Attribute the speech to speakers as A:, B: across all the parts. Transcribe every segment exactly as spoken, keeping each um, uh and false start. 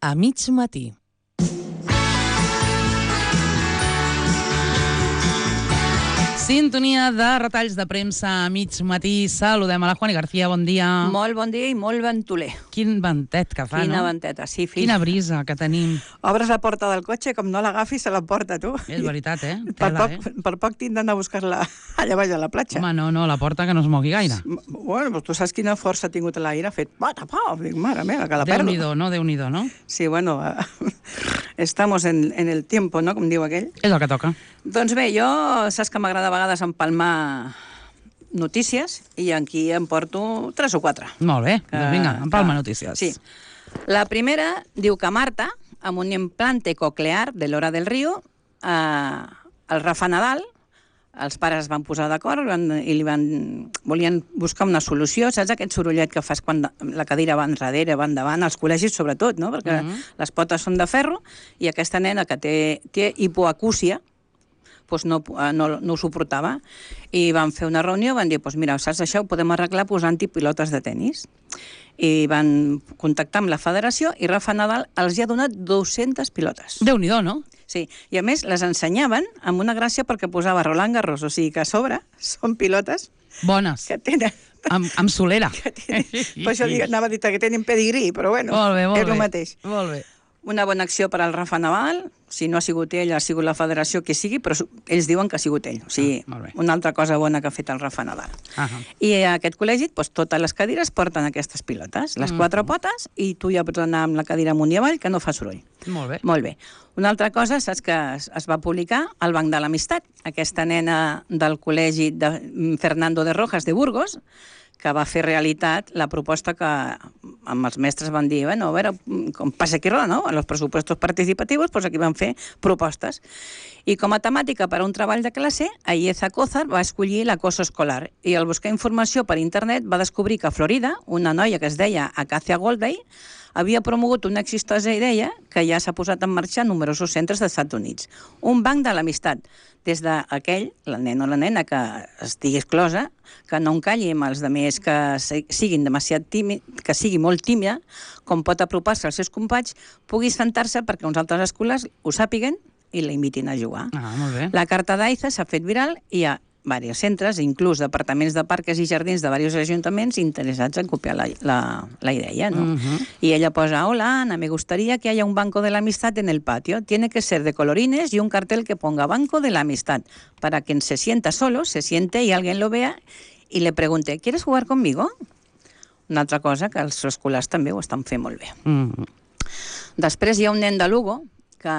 A: A mig matí. Sintonia de retalls de premsa a mig matí. Saludem a la Juani García, bon dia.
B: Molt bon dia i molt ventoler.
A: Quin ventet que fa,
B: Quina
A: no?
B: venteta, sí, fill.
A: Quina brisa que tenim.
B: Obres la porta del cotxe, com no l'agafis, se l'emporta, tu.
A: És veritat, eh?
B: Per
A: Tela,
B: poc,
A: eh?
B: per poc tindran a buscar-la allà baix a la platja.
A: Home, no, no, la porta que no es mogui gaire.
B: Bueno, doncs tu saps quina força ha tingut l'aire, ha fet pata, pau, dic, mare meva, que la perdo.
A: Déu-n'hi-do, no? Déu-n'hi-do, no?
B: Sí, bueno, estamos en, en el tiempo, no?, com diu aquell.
A: És el que toca.
B: Doncs bé, jo saps que m'agrada a vegades empalmar notícies i aquí em porto tres o quatre.
A: Molt bé,
B: Que-
A: doncs vinga, empalma
B: que-
A: notícies.
B: Sí. La primera diu que Marta, amb un implante coclear de l'Hora del Río, eh, el Rafa Nadal, els pares es van posar d'acord van, i li van, volien buscar una solució. Saps aquest sorollet que fas quan la cadira va enrere, va endavant, als col·legis sobretot, no? Perquè
A: Mhm.
B: les potes són de ferro i aquesta nena que té, té hipoacúsia, doncs no, no, no ho suportava. I van fer una reunió, van dir, doncs mira, saps això, ho podem arreglar posant-hi pilotes de tennis. I van contactar amb la federació i Rafa Nadal els hi ha donat dues-centes pilotes.
A: Déu-n'hi-do, no?
B: Sí, i a més les ensenyaven amb una gràcia perquè posava Roland Garros, o sigui que a sobre són pilotes
A: Bones.
B: que tenen...
A: Amb, amb solera.
B: Que tenen per això dic, anava a dir que tenen pedigrí, però bueno,
A: Molt bé, molt
B: és
A: bé.
B: el mateix.
A: Molt bé.
B: Una bona acció per al Rafa Nadal, si no ha sigut ell, ha sigut la federació, que sigui, però ells diuen que ha sigut ell. O sigui,
A: Ah, molt bé.
B: una altra cosa bona que ha fet el Rafa Nadal.
A: Ah,
B: I a aquest col·legi, doncs, totes les cadires porten aquestes pilotes, les quatre potes, i tu ja pots anar amb la cadira amunt i avall, que no fa soroll.
A: molt bé.
B: Molt bé. Una altra cosa, saps que es, es va publicar al Banc de l'Amistat, aquesta nena del col·legi de Fernando de Rojas de Burgos, que va fer realitat la proposta que amb els mestres van dir, bueno, a veure, com passa aquí roda, no? En els pressupostos participativos, doncs aquí van fer propostes. I com a temàtica per a un treball de classe, Aieza Cózar va escollir l'acoso escolar i al buscar informació per internet va descobrir que a Florida, una noia que es deia Acacia Goldberg havia promogut una exitosa idea que ja s'ha posat en marxa en numerosos centres dels Estats Units. Un banc de l'amistat. Des d'aquell, la nena o la nena que estigui exclosa, que no encalli amb els altres que siguin demasiat tímid, que sigui molt tímida, com pot apropar-se als seus companys, pugui sentar-se perquè uns altres escoles ho sàpiguen i la invitin a jugar.
A: Ah, molt bé.
B: La carta d'Aiza s'ha fet viral i hi ha diversos centres, inclús departaments de parques i jardins de diversos ajuntaments interessats en copiar la, la, la idea, ¿no?
A: Mhm.
B: Y ella posa, hola Ana, me gustaría que haya un banco de la amistad en el patio. Tiene que ser de colorines y un cartel que ponga Banco de la Amistad, para quien se sienta solo, se siente y alguien lo vea y le pregunte, ¿quieres jugar conmigo? Una altra cosa que els escolars també ho estan fent molt bé.
A: Mm.
B: Després hi ha un nen de Lugo que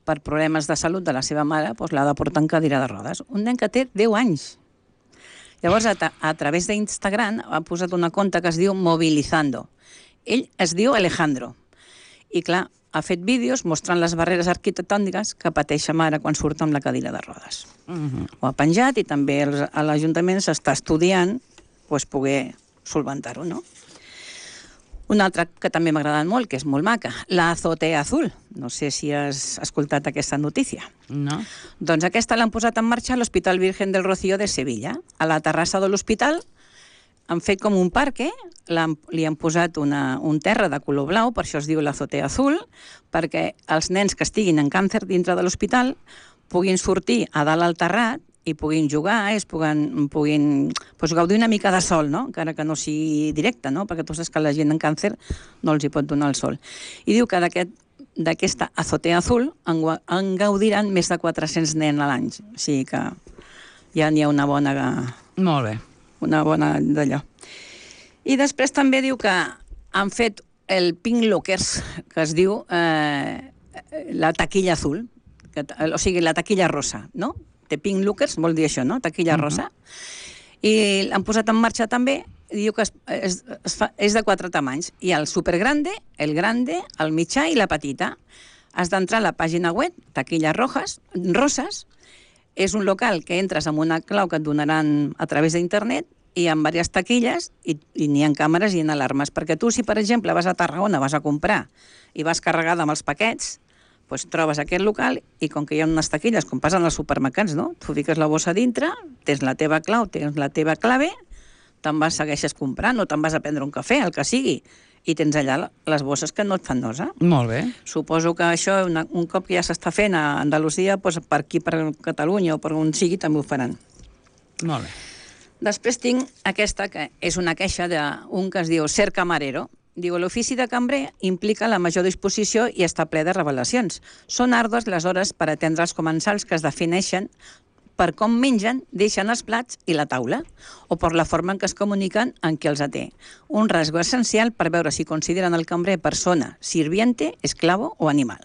B: per problemes de salut de la seva mare doncs l'ha de portar en cadira de rodes. Un nen que té deu anys. Llavors, a, a través d'Instagram ha posat una conta que es diu Movilizando. Ell es diu Alejandro. I clar, ha fet vídeos mostrant les barreres arquitectòniques que pateix sa mare quan surt amb la cadira de rodes.
A: Mhm.
B: Ho ha penjat i també els- a l'Ajuntament s'està estudiant doncs, poder solventar-ho, no? Una altra que també m'ha agradat molt, que és molt maca, la azotea azul. No sé si has escoltat aquesta notícia.
A: No?
B: Doncs aquesta l'han posat en marxa a l'Hospital Virgen del Rocío de Sevilla. A la terrassa de l'hospital han fet com un parc, l'han- li han posat una, un terra de color blau, per això es diu l'azotea azul, perquè els nens que estiguin en càncer dintre de l'hospital puguin sortir a dalt al terrat i puguin jugar, es puguin, puguin pues, gaudir una mica de sol, no? Encara que no sigui directe, no? Perquè tu saps que la gent en càncer no els hi pot donar el sol. I diu que d'aquest d'aquesta azotea azul en, gua- en gaudiran més de quatre-cents nens a l'any. O sigui que ja n'hi ha una bona,
A: Molt bé.
B: una bona d'allò. I després també diu que han fet el Pink Lockers, que es diu eh, la taquilla azul, que, o sigui, la taquilla rosa, no? De Pink Lockers vol dir això, no? Taquilla rosa. I l'han posat en marxa també, i diu que es, es, es fa, és de quatre tamanys. Hi ha el supergrande, el grande, el mitjà i la petita. Has d'entrar a la pàgina web, Taquillas Rojas, Roses. És un local que entres amb una clau que et donaran a través d'internet i amb diverses taquilles i, i n'hi ha càmeres i n'hi ha alarmes. Perquè tu, si per exemple vas a Tarragona, vas a comprar i vas carregada amb els paquets, doncs trobes aquest local i com que hi ha unes taquilles, com passen als supermercats, no? Tu fiques la bossa dintre, tens la teva clau, tens la teva clave, te'n vas, segueixes comprant o te'n vas a prendre un cafè, el que sigui. i tens allà les bosses que no et fan nosa.
A: Molt bé.
B: Suposo que això, una, un cop que ja s'està fent a Andalusia, doncs per aquí, per Catalunya o per on sigui, també ho faran.
A: Molt bé.
B: Després tinc aquesta, que és una queixa d'un que es diu Ser Camarero. Diu, l'ofici de cambrer implica la major disposició i està ple de revelacions. Són àrdues les hores per atendre els comensals que es defineixen per com mengen, deixen els plats i la taula, o per la forma en què es comuniquen en qui els atén. Un rasgo essencial per veure si consideren el cambrer persona, sirviente, esclavo o animal.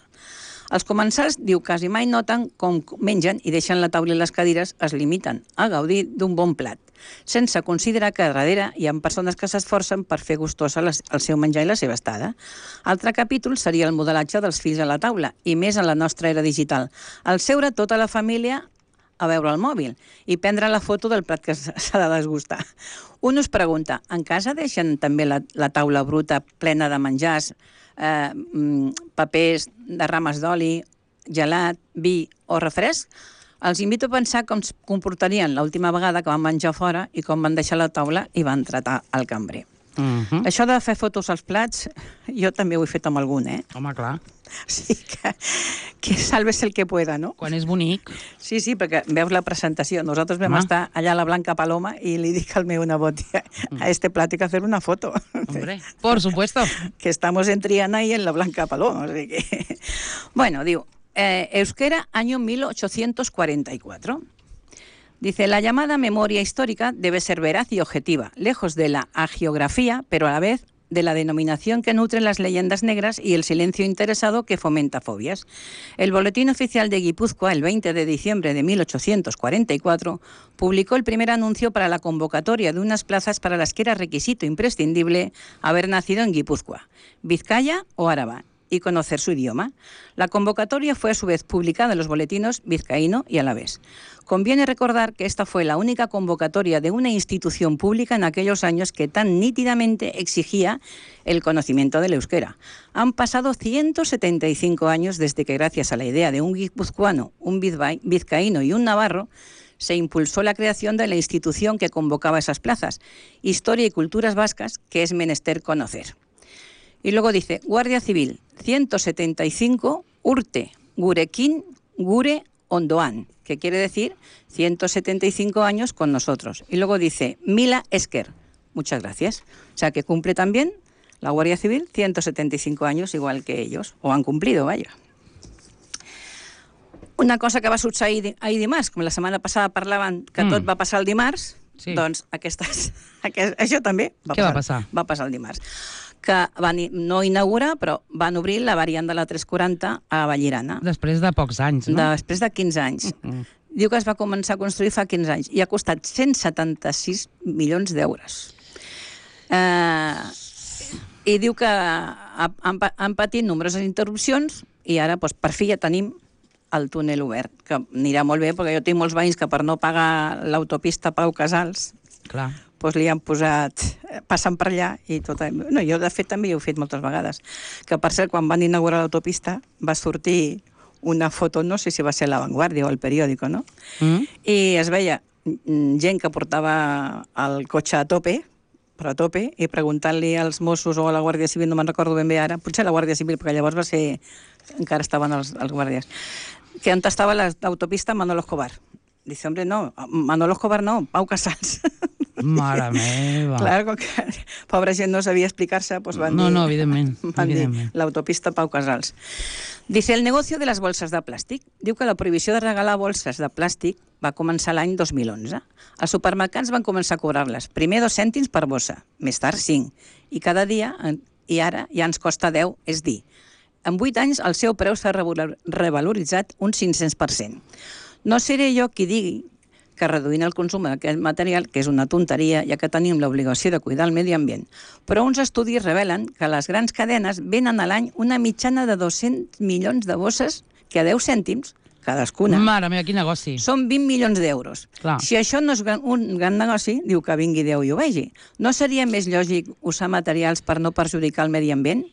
B: Els comensals, diu, quasi mai noten com mengen i deixen la taula i les cadires, es limiten a gaudir d'un bon plat, sense considerar que darrere hi ha persones que s'esforcen per fer gustosa el seu menjar i la seva estada. Altre capítol seria el modelatge dels fills a la taula, i més en la nostra era digital. Al seure tota la família a veure el mòbil i prendre la foto del plat que s'ha de desgustar. Un us pregunta, en casa deixen també la, la taula bruta plena de menjars, eh, papers de rames d'oli, gelat, vi o refresc? Els invito a pensar com es comportarien l'última vegada que van menjar fora i com van deixar la taula i van tratar el cambrer. Uh-huh. Això de fer fotos als plats, jo també ho he fet amb algun, eh?
A: Home, clar.
B: O sigui que, que salves el que pueda, no?
A: Quan és bonic.
B: Sí, sí, perquè veus la presentació. Nosaltres vam
A: Home.
B: estar allà a la Blanca Paloma i li dic al meu nebot, a este plat hay que hacer una foto.
A: Hombre, por supuesto.
B: Que estamos en Triana y en la Blanca Paloma. O sigui que... Bueno, diu, eh, euskera, año mil ochocientos cuarenta y cuatro. Dice, la llamada memoria histórica debe ser veraz y objetiva, lejos de la hagiografía, pero a la vez de la denominación que nutren las leyendas negras y el silencio interesado que fomenta fobias. El Boletín Oficial de Guipúzcoa, el veinte de diciembre de mil ochocientos cuarenta y cuatro, publicó el primer anuncio para la convocatoria de unas plazas para las que era requisito imprescindible haber nacido en Guipúzcoa, Vizcaya o Araba, y conocer su idioma. La convocatoria fue a su vez publicada en los boletines vizcaíno y alavés. Conviene recordar que esta fue la única convocatoria de una institución pública en aquellos años que tan nítidamente exigía el conocimiento del euskera. Han pasado ciento setenta y cinco años desde que, gracias a la idea de un guipuzcoano, un vizcaíno y un navarro, se impulsó la creación de la institución que convocaba esas plazas, Historia y Culturas Vascas, que es menester conocer. Y luego dice, Guardia Civil, ciento setenta y cinco, Urte, Gurekin, Gure, Ondoan, que quiere decir ciento setenta y cinco años con nosotros. Y luego dice, Mila Esker, muchas gracias. O sea, que cumple también la Guardia Civil ciento setenta y cinco años, igual que ellos, o han cumplido, vaya. Una cosa que va succeir ahir dimarts, com la setmana passada parlaven que mm. tot va passar el dimarts, sí. Doncs aquestes, aquest, això també va
A: Què
B: passar,
A: va passar?
B: Va passar el dimarts. Que van no inaugurar, però van obrir la variant de la tres quaranta a Vallirana.
A: Després de pocs anys, no?
B: Després de quinze anys.
A: Mm.
B: Diu que es va començar a construir fa quinze anys i ha costat cent setanta-sis milions d'euros. Eh, I diu que han, han patit nombroses interrupcions i ara, doncs, per fi ja tenim el túnel obert, que anirà molt bé, perquè jo tinc molts veïns que per no pagar l'autopista Pau Casals,
A: clar,
B: doncs li han posat, passant per allà i tot. No, jo de fet també ho he fet moltes vegades. Que per cert, quan van inaugurar l'autopista va sortir una foto, no sé si va ser La Vanguardia o El Periódico, no? Mm. I es veia gent que portava el cotxe a tope, però a tope, i preguntant-li als Mossos o a la Guàrdia Civil, no me'n recordo ben bé ara, potser la Guàrdia Civil, perquè llavors va ser, encara estaven els, els guàrdies, que on estava l'autopista Manolo Escobar. Dice, hombre, no, Manolo Escobar no, Pau Casals.
A: Mare meva.
B: Claro, com que pobra gent no sabia explicar-se, pues van
A: no,
B: dir,
A: no, evidentment,
B: van
A: evidentment.
B: dir l'autopista Pau Casals. Dice, el negocio de les bolses de plàstic. Diu que la prohibició de regalar bolses de plàstic va començar l'any dos mil onze. Els supermercats van començar a cobrar-les. Primer dos cèntims per bossa, més tard cinc. I cada dia, i ara ja ens costa deu, és dir, en vuit anys el seu preu s'ha revaloritzat un cinc-cents per cent. No seré jo qui digui que reduint el consum d'aquest material, que és una tonteria, ja que tenim l'obligació de cuidar el medi ambient. Però uns estudis revelen que les grans cadenes venen a l'any una mitjana de dos-cents milions de bosses que a deu cèntims, cadascuna,
A: Mare meva, quin negoci.
B: són vint milions d'euros.
A: Clar.
B: Si això no és un gran negoci, diu que vingui Déu i ho vegi. No seria més lògic usar materials per no perjudicar el medi ambient?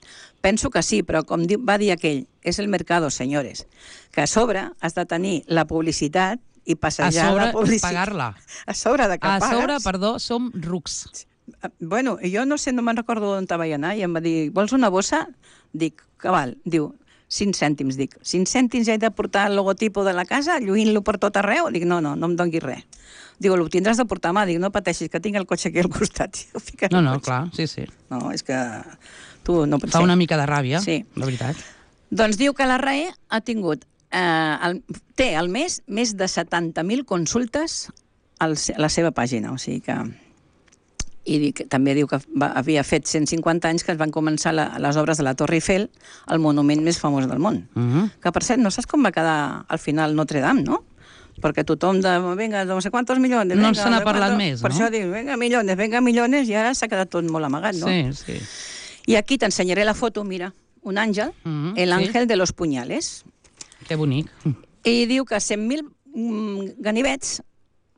B: Penso que sí, però com va dir aquell, és el mercado, senyores. Que a sobre has de tenir la publicitat i passejar
A: a sobre,
B: la publicitat.
A: pagar-la.
B: A sobre de que
A: a
B: pagues.
A: sobre, perdó, som rucs.
B: Bueno, jo no sé, no me'n recordo on vaig anar, i em va dir, vols una bossa? Dic, que val? Diu, cinc cèntims, dic. cinc cèntims he de portar el logotipo de la casa, lluint-lo per tot arreu? Dic, no, no, no em donguis res. Diu, ho tindràs de portar a mà. Dic, no pateixis, que tinc el cotxe aquí al costat.
A: No, no, clar, sí, sí.
B: No, és que tu no pots
A: Fa
B: ser.
A: una mica de ràbia,
B: sí.
A: La veritat.
B: Doncs diu que la R A E ha tingut, eh, el, té al mes més de setanta mil consultes a la seva pàgina, o sigui que... I dic, també diu que va, havia fet cent cinquanta anys que es van començar la, les obres de la Torre Eiffel, el monument més famós del món. Uh -huh. Que, per cert, no saps com va quedar al final Notre Dame, no? Perquè tothom de, vinga, no sé quantos milions...
A: No se n'ha parlat més,
B: per
A: no?
B: Per això diu, vinga, milions, vinga, milions, i ara s'ha quedat tot molt amagat, no?
A: Sí, sí.
B: I aquí t'ensenyaré la foto, mira, un àngel, uh -huh, el ángel sí. de los puñales.
A: Que bonic.
B: I diu que cent mil mm, ganivets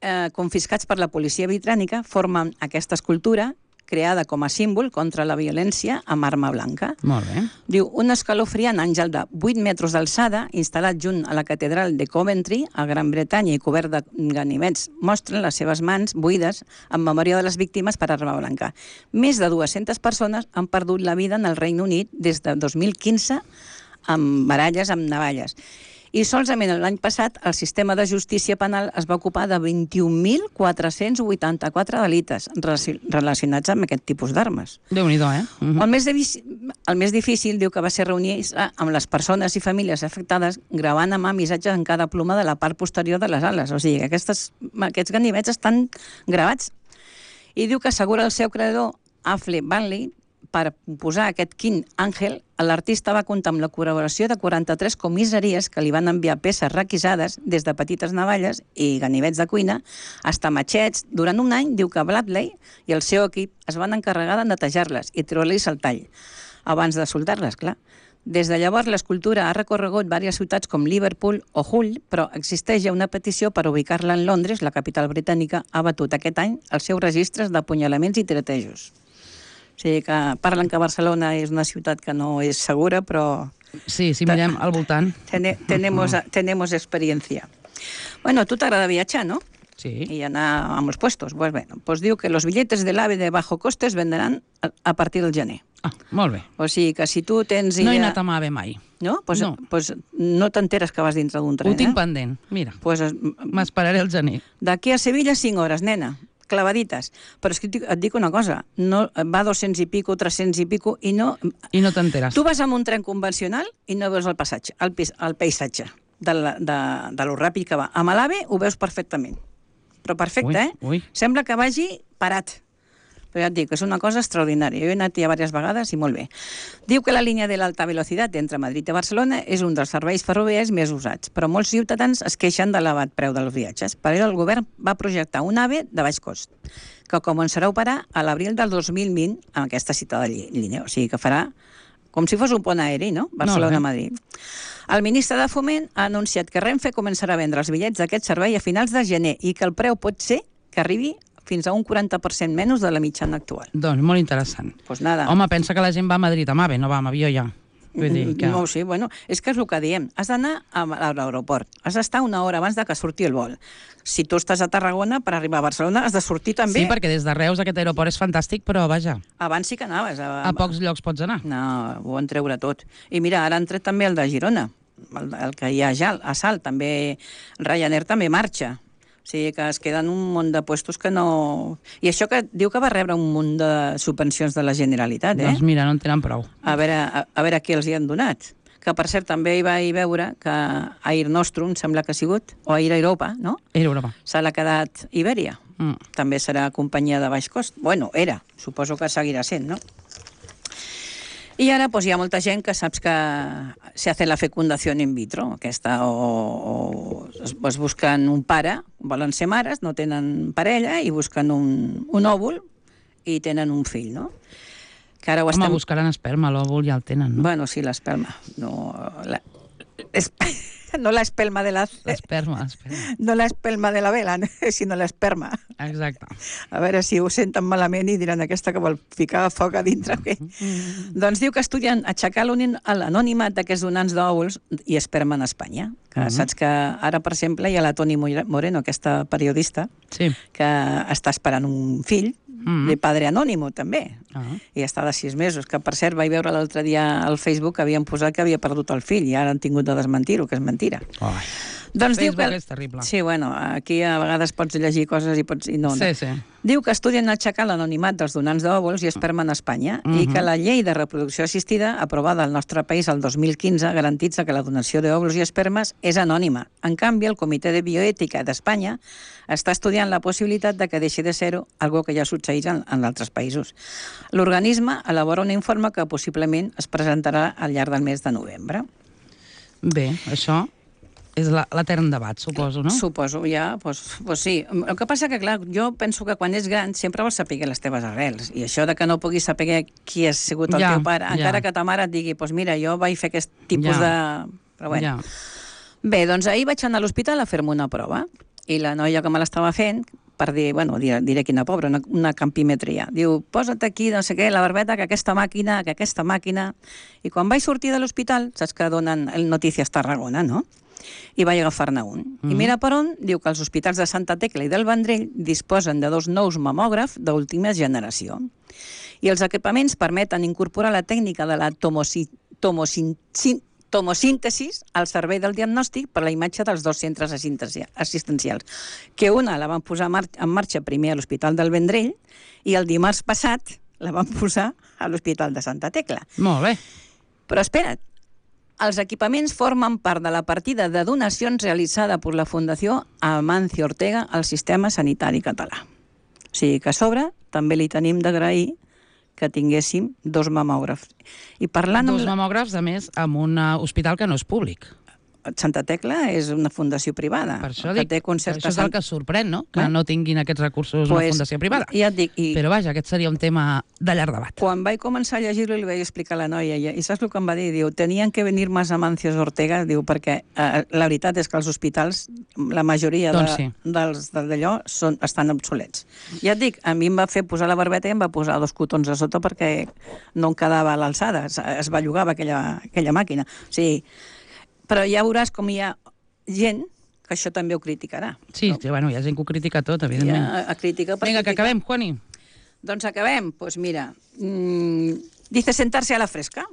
B: Eh, confiscats per la policia britànica formen aquesta escultura creada com a símbol contra la violència amb arma blanca.
A: Molt bé.
B: Diu, un escalofriant àngel de vuit metres d'alçada, instal·lat junt a la catedral de Coventry, a Gran Bretanya, i cobert de ganivets, mostren les seves mans buides en memòria de les víctimes per arma blanca. Més de dues-centes persones han perdut la vida en el Regne Unit des de dos mil quinze amb baralles amb navalles. I solament l'any passat el sistema de justícia penal es va ocupar de vint-i-un mil quatre-cents vuitanta-quatre delictes relacionats amb aquest tipus d'armes.
A: Déu-n'hi-do, eh? Uh -huh.
B: el, més el més difícil diu que va ser reunir-se amb les persones i famílies afectades gravant amb missatges en cada ploma de la part posterior de les ales. O sigui, aquestes, aquests ganivets estan gravats. I diu que assegura el seu creador, Affle Banley, per posar aquest quint àngel, l'artista va comptar amb la col·laboració de quaranta-tres comissaries que li van enviar peces requisades, des de petites navalles i ganivets de cuina, fins matxets. Durant un any, diu que Bradley i el seu equip es van encarregar de netejar-les i treure-les el tall, abans de soldar-les, clar. Des de llavors, l'escultura ha recorregut diverses ciutats com Liverpool o Hull, però existeix ja una petició per ubicar-la en Londres. La capital britànica ha batut aquest any els seus registres d'apunyalaments i tiratejos. O sigui que parlen que Barcelona és una ciutat que no és segura, però...
A: Sí, si mirem al voltant.
B: Ten tenemos, tenemos experiencia. Bueno, a tu t'agrada viatjar, no?
A: Sí.
B: I anar a molts puestos. Pues bueno, pues diu que los billetes del AVE de bajo coste es venderan a, a partir del gener.
A: Ah, molt bé.
B: O sigui que si tu tens idea...
A: No he anat amb AVE mai.
B: No? Pues
A: no,
B: pues no t'enteres que vas dintre d'un tren,
A: Ho tinc
B: eh?
A: pendent, mira.
B: Pues
A: m'esperaré el gener.
B: D'aquí a Sevilla, cinc hores, nena. Clavadites. Però és que et dic una cosa, no, va dos-cents i pico, tres-cents i pico, i no...
A: I no t'enteres.
B: Tu vas amb un tren convencional i no veus el passatge, el, el paisatge de, la, de, de lo ràpid que va. Amb l'AVE ho veus perfectament. Però perfecte,
A: ui,
B: eh?
A: Ui.
B: Sembla que vagi parat. Però ja et dic, és una cosa extraordinària. Jo he anat ja diverses vegades i molt bé. Diu que la línia de l'alta velocitat entre Madrid i Barcelona és un dels serveis ferroviaris més usats, però molts ciutadans es queixen de l'elevat preu dels viatges. Per això el govern va projectar un AVE de baix cost, que començarà a operar a l'abril del dos mil vint amb aquesta citada línia. O sigui que farà com si fos un pont aeri, no? Barcelona-Madrid. El ministre de Foment ha anunciat que Renfe començarà a vendre els bitllets d'aquest servei a finals de gener i que el preu pot ser que arribi fins a un quaranta per cent menys de la mitjana actual.
A: Doncs molt interessant.
B: Pues nada.
A: Home, pensa que la gent va a Madrid amb AVE, no va amb avió ja. Vull dir que...
B: No, sí, bueno, és que és el que diem. Has d'anar a l'aeroport. Has d'estar una hora abans de que surti el vol. Si tu estàs a Tarragona, per arribar a Barcelona has de sortir també.
A: Sí, perquè des de Reus aquest aeroport és fantàstic, però vaja.
B: Abans sí que anaves. A,
A: a pocs llocs pots anar.
B: No, ho van treure tot. I mira, ara han tret també el de Girona, el, el que hi ha ja a Salt. També Ryanair també marxa. O sigui que es queden un munt de puestos que no... I això que diu que va rebre un munt de subvencions de la Generalitat, eh?
A: Doncs mira, no en tenen prou.
B: A veure, a, a veure què els hi han donat. Que, per cert, també hi vaig veure que Air Nostrum, sembla que ha sigut, o Air Europa, no?
A: Air Europa.
B: Se l'ha quedat Iberia. Mm. També serà companyia de baix cost. Bueno, era. Suposo que seguirà sent, no? I ara pues, hi ha molta gent que saps que se hace la fecundació in vitro, aquesta, o, o es, es busquen un pare, volen ser mares, no tenen parella, i busquen un, un òvul i tenen un fill, no? Que ara ho
A: Home,
B: estem...
A: buscaran esperma, l'òvul ja el tenen, no?
B: Bueno, sí, l'esperma. No, la... es... no la espelma de la...
A: L'esperma, l'esperma.
B: No la espelma de la vela, sinó l'esperma.
A: Exacte.
B: A veure si ho senten malament i diran aquesta que vol ficar foc a dintre. Okay? Mm. Doncs diu que estudien aixecar l'anònimat d'aquests donants d'òvuls i esperma en Espanya. Que mm-hmm. Saps que ara, per exemple, hi ha la Toni Moreno, aquesta periodista,
A: sí.
B: que està esperant un fill mm. de Padre Anónimo, també.
A: Ah.
B: I està de sis mesos, que per cert vaig veure l'altre dia al Facebook que havien posat que havia perdut el fill i ara han tingut de desmentir-ho, que és mentira.
A: Oh.
B: Doncs
A: Facebook
B: diu que...
A: és terrible.
B: Sí, bueno, aquí a vegades pots llegir coses i pots... I no, no.
A: Sí, sí.
B: Diu que estudien aixecar l'anonimat dels donants d'òvuls i esperma en Espanya uh -huh. i que la llei de reproducció assistida, aprovada al nostre país el dos mil quinze, garantitza que la donació d'òvuls i espermes és anònima. En canvi, el Comitè de Bioètica d'Espanya està estudiant la possibilitat de que deixi de ser-ho, algo que ja succeeix en, en altres països. L'organisme elabora un informe que possiblement es presentarà al llarg del mes de novembre.
A: Bé, això... és l'etern debat, suposo, no?
B: Suposo, ja, doncs, doncs sí. El que passa que, clar, jo penso que quan ets gran sempre vols saber les teves arrels. I això de que no puguis saber qui ha sigut el ja, teu pare, ja. encara que ta mare et digui, doncs mira, jo vaig fer aquest tipus ja. de... Però bueno. Ja. Bé, doncs ahir vaig anar a l'hospital a fer-me una prova. I la noia que me l'estava fent, per dir, bueno, diré, diré quina pobra, una, una campimetria. Diu, posa't aquí, no sé què, la barbeta, que aquesta màquina, que aquesta màquina... I quan vaig sortir de l'hospital, saps que donen el Notícies Tarragona, no? I vaig agafar-ne un. Mm. I mira per on, diu que els hospitals de Santa Tecla i del Vendrell disposen de dos nous mamògrafs d'última generació. I els equipaments permeten incorporar la tècnica de la tomosi, tomosin, tomosíntesis al servei del diagnòstic per la imatge dels dos centres assistencials, que una la van posar en marxa primer a l'Hospital del Vendrell i el dimarts passat la van posar a l'Hospital de Santa Tecla.
A: Molt bé.
B: Però espera't, els equipaments formen part de la partida de donacions realitzada per la Fundació Amancio Ortega al sistema sanitari català. O sigui que a sobre també li tenim d'agrair que tinguéssim dos mamògrafs. I parlant
A: dos
B: amb...
A: mamògrafs, a més, en un hospital que no és públic.
B: Santa Tecla és una fundació privada.
A: Per això, dic,
B: que té
A: això és el que sorprèn, no? Que eh? no tinguin aquests recursos pues, una fundació privada.
B: Ja et dic, i...
A: Però vaja, aquest seria un tema de llarg debat.
B: Quan vaig començar a llegir-lo li vaig explicar a la noia, i, i saps el que em va dir? Diu, tenien que venir més Amancio Ortega, diu, perquè eh, la veritat és que els hospitals, la majoria
A: doncs sí.
B: de, dels d'allò són, estan obsolets. Ja et dic, a mi em va fer posar la barbeta i em va posar dos cotons a sota perquè no em quedava a l'alçada, es, es bellugava aquella, aquella màquina. O sigui, però ja veuràs com hi ha gent que això també ho criticarà.
A: Sí, no? Sí, bueno, hi ha gent que ho critica tot, evidentment.
B: Ja, a critica per
A: Vinga,
B: criticar.
A: que acabem, Juani.
B: Doncs acabem. Doncs pues mira, mmm, dice sentarse a la fresca.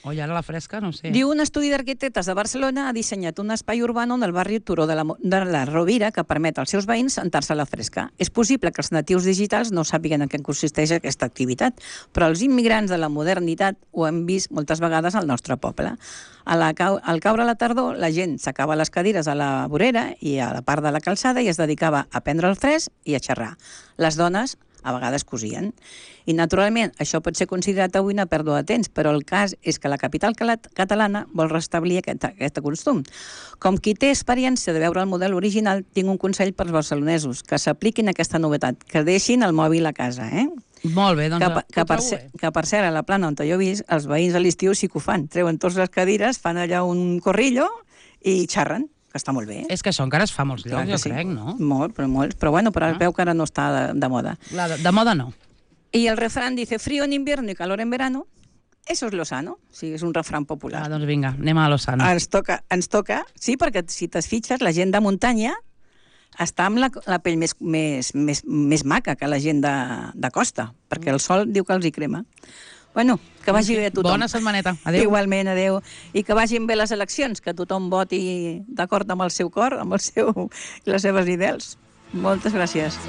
A: Oi, ara la fresca, no sé.
B: Diu, un estudi d'arquitectes de Barcelona ha dissenyat un espai urbà en el barri Turó de la, de la Rovira que permet als seus veïns sentar-se a la fresca. És possible que els natius digitals no sàpiguen en què consisteix aquesta activitat, però els immigrants de la modernitat ho hem vist moltes vegades al nostre poble. A la, al caure la tardor, la gent s'acaba les cadires a la vorera i a la part de la calçada i es dedicava a prendre el fresc i a xerrar. Les dones a vegades cosien. I, naturalment, això pot ser considerat avui una pèrdua de temps, però el cas és que la capital catalana vol restablir aquest, aquest costum. Com qui té experiència de veure el model original, tinc un consell pels barcelonesos, que s'apliquin aquesta novetat, que deixin el mòbil a casa, eh?
A: Molt bé, doncs
B: que, que, per ser, que per cert, a la plana on jo he vist, els veïns a l'estiu sí que ho fan. Treuen tots les cadires, fan allà un corrillo i xerren, que està molt bé.
A: És que això encara es fa a molts llocs, jo sí. crec, no?
B: Molt, però molts. Però bueno, però ah. veu que ara no està de, de moda.
A: La de, de moda no.
B: I el refrán dice, frío en invierno y calor en verano. Eso es lo sano. Sí, és un refrán popular.
A: Ah, doncs vinga, anem a lo sano.
B: Ens toca, ens toca, sí, perquè si t'es fitxes, la gent de muntanya està amb la, la pell més, més, més, més maca que la gent de, de costa, perquè el sol diu que els hi crema. Bueno, que vagi bé a tothom.
A: Bona setmaneta. Adéu.
B: Igualment, adéu. I que vagin bé les eleccions, que tothom voti d'acord amb el seu cor, amb el seu, les seves ideals. Moltes gràcies.